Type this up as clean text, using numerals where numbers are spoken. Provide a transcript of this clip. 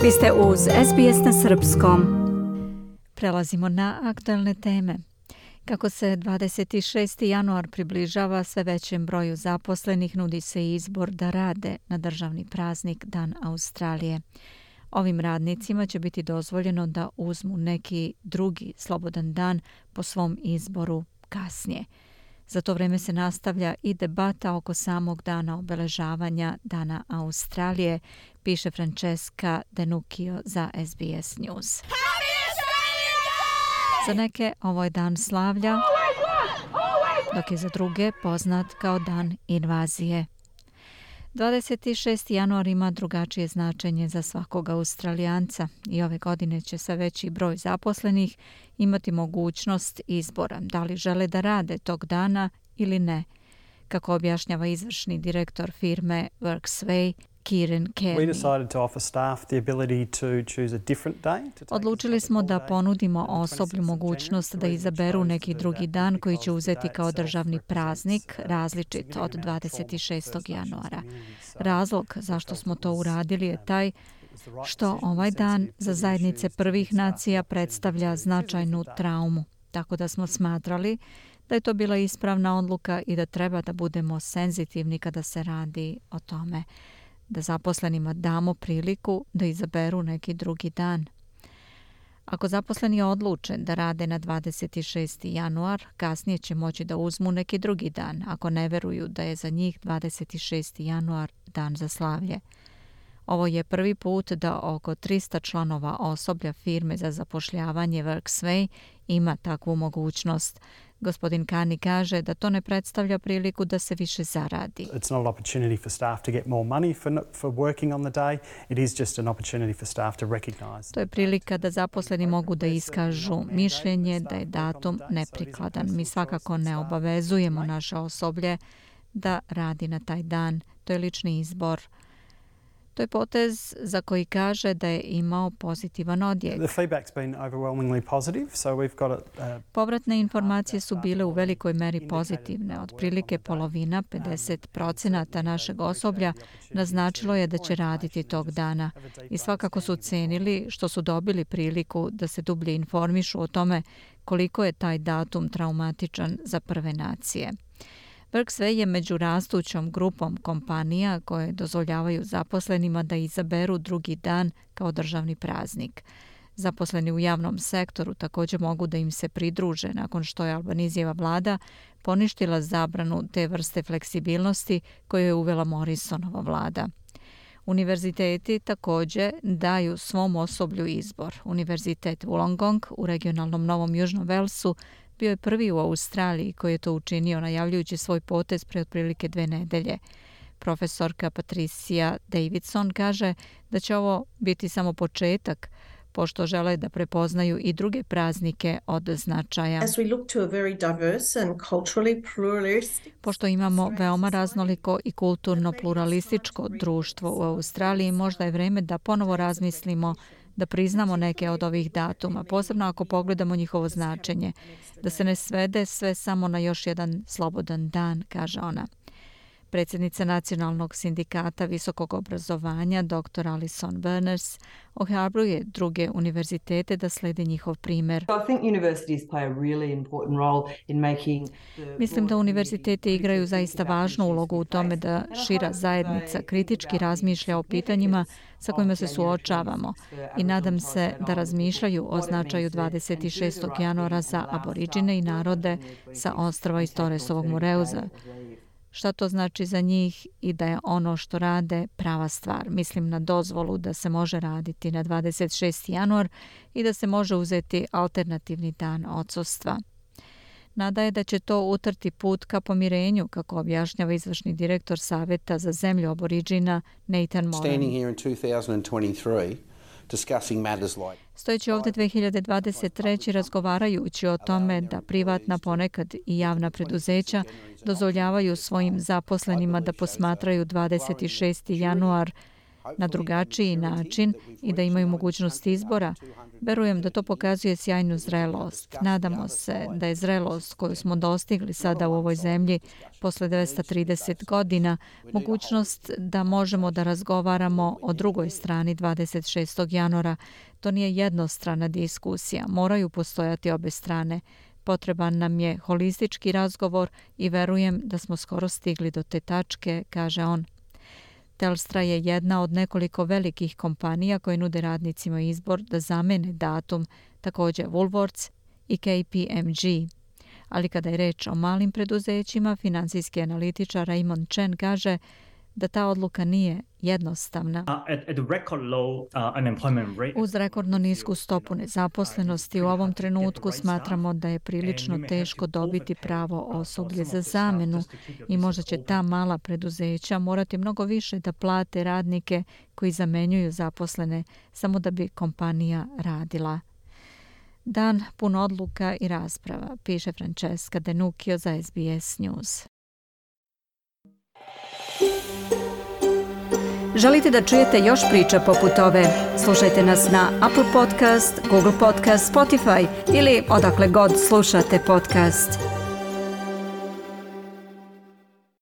Vi ste uz SBS na srpskom. Prelazimo na aktuelne teme. Kako se 26. januar približava sve većem broju zaposlenih, nudi se izbor da rade na državni praznik Dan Australije. Ovim radnicima će biti dozvoljeno da uzmu neki drugi slobodan dan po svom izboru kasnije. Za to vreme se nastavlja i debata oko samog dana obeležavanja Dana Australije, piše Francesca Denuccio za SBS News. Za neke ovo je dan slavlja, dok je za druge poznat kao dan invazije. 26. januar ima drugačije značenje za svakog Australijanca i ove godine će sve veći broj zaposlenih imati mogućnost izbora da li žele da rade tog dana ili ne, kako objašnjava izvršni direktor firme WorkSway, Kieran Kearney. Odlučili smo da ponudimo osoblju mogućnost da izaberu neki drugi dan koji će uzeti kao državni praznik, različit od 26. januara. Razlog zašto smo to uradili je taj što ovaj dan za zajednice prvih nacija predstavlja značajnu traumu, tako da smo smatrali da je to bila ispravna odluka i da treba da budemo senzitivni kada se radi o tome, da zaposlenima damo priliku da izaberu neki drugi dan. Ako zaposleni odluče da rade na 26. januar, kasnije će moći da uzmu neki drugi dan, ako ne veruju da je za njih 26. januar dan za slavlje. Ovo je prvi put da oko 300 članova osoblja firme za zapošljavanje WorkSway ima takvu mogućnost. Gospodin Kearney kaže da to ne predstavlja priliku da se više zaradi. It's not an opportunity for staff to get more money for working on the day. It is just an opportunity for staff to recognize. To je prilika da zaposleni mogu da iskažu mišljenje da je datum neprikladan. Mi svakako ne obavezujemo naše osoblje da radi na taj dan. To je lični izbor. To je potez za koji kaže da je imao pozitivan odjek. Povratne informacije su bile u velikoj meri pozitivne. Otprilike polovina, 50% našeg osoblja naznačilo je da će raditi tog dana. I svakako su cenili što su dobili priliku da se dublje informišu o tome koliko je taj datum traumatičan za prve nacije. WorkSway je među rastućom grupom kompanija koje dozvoljavaju zaposlenima da izaberu drugi dan kao državni praznik. Zaposleni u javnom sektoru također mogu da im se pridruže nakon što je Albanizijeva vlada poništila zabranu te vrste fleksibilnosti koju je uvela Morrisonova vlada. Univerziteti također daju svom osoblju izbor. Univerzitet Wollongong u regionalnom Novom Južnom Velsu bio je prvi u Australiji koji je to učinio najavljujući svoj potez pre otprilike 2 nedelje. Profesorka Patricia Davidson kaže da će ovo biti samo početak, pošto žele da prepoznaju i druge praznike od značaja. Pošto imamo veoma raznoliko i kulturno pluralističko društvo u Australiji, možda je vreme da ponovo razmislimo da priznamo neke od ovih datuma, posebno ako pogledamo njihovo značenje, da se ne svede sve samo na još jedan slobodan dan, kaže ona. Predsjednica Nacionalnog sindikata visokog obrazovanja, dr. Alison Berners, ohrabruje druge univerzitete da slede njihov primjer. Mislim da univerziteti igraju zaista važnu ulogu u tome da šira zajednica kritički razmišlja o pitanjima sa kojima se suočavamo i nadam se da razmišljaju o značaju 26. januara za aboriđine i narode sa ostrva iz Torresovog Moreuza. Šta to znači za njih i da je ono što rade prava stvar. Mislim na dozvolu da se može raditi na 26. januar i da se može uzeti alternativni dan odsustva. Nada je da će to utrti put ka pomirenju, kako objašnjava izvršni direktor Saveta za zemlju aboriđina Nathan Moran. Stojeći ovdje 2023. razgovarajući o tome da privatna, ponekad i javna preduzeća dozvoljavaju svojim zaposlenima da posmatraju 26. januar na drugačiji način i da imaju mogućnost izbora. Verujem da to pokazuje sjajnu zrelost. Nadamo se da je zrelost koju smo dostigli sada u ovoj zemlji posle 230 godina mogućnost da možemo da razgovaramo o drugoj strani 26. januara. To nije jednostrana diskusija. Moraju postojati obe strane. Potreban nam je holistički razgovor i verujem da smo skoro stigli do te tačke, kaže on. Telstra je jedna od nekoliko velikih kompanija koje nude radnicima izbor da zamene datum, također Woolworths i KPMG. Ali kada je reč o malim preduzećima, finansijski analitičar Raymond Chen kaže da ta odluka nije jednostavna. Uz rekordno nisku stopu nezaposlenosti u ovom trenutku smatramo da je prilično teško dobiti pravo osoblje za zamenu i možda će ta mala preduzeća morati mnogo više da plate radnike koji zamenjuju zaposlene samo da bi kompanija radila. Dan pun odluka i rasprava, piše Francesca Denucchio za SBS News. Želite da čujete još priča poput ove? Slušajte nas na Apple Podcast, Google Podcast, Spotify ili odakle god slušate podcast.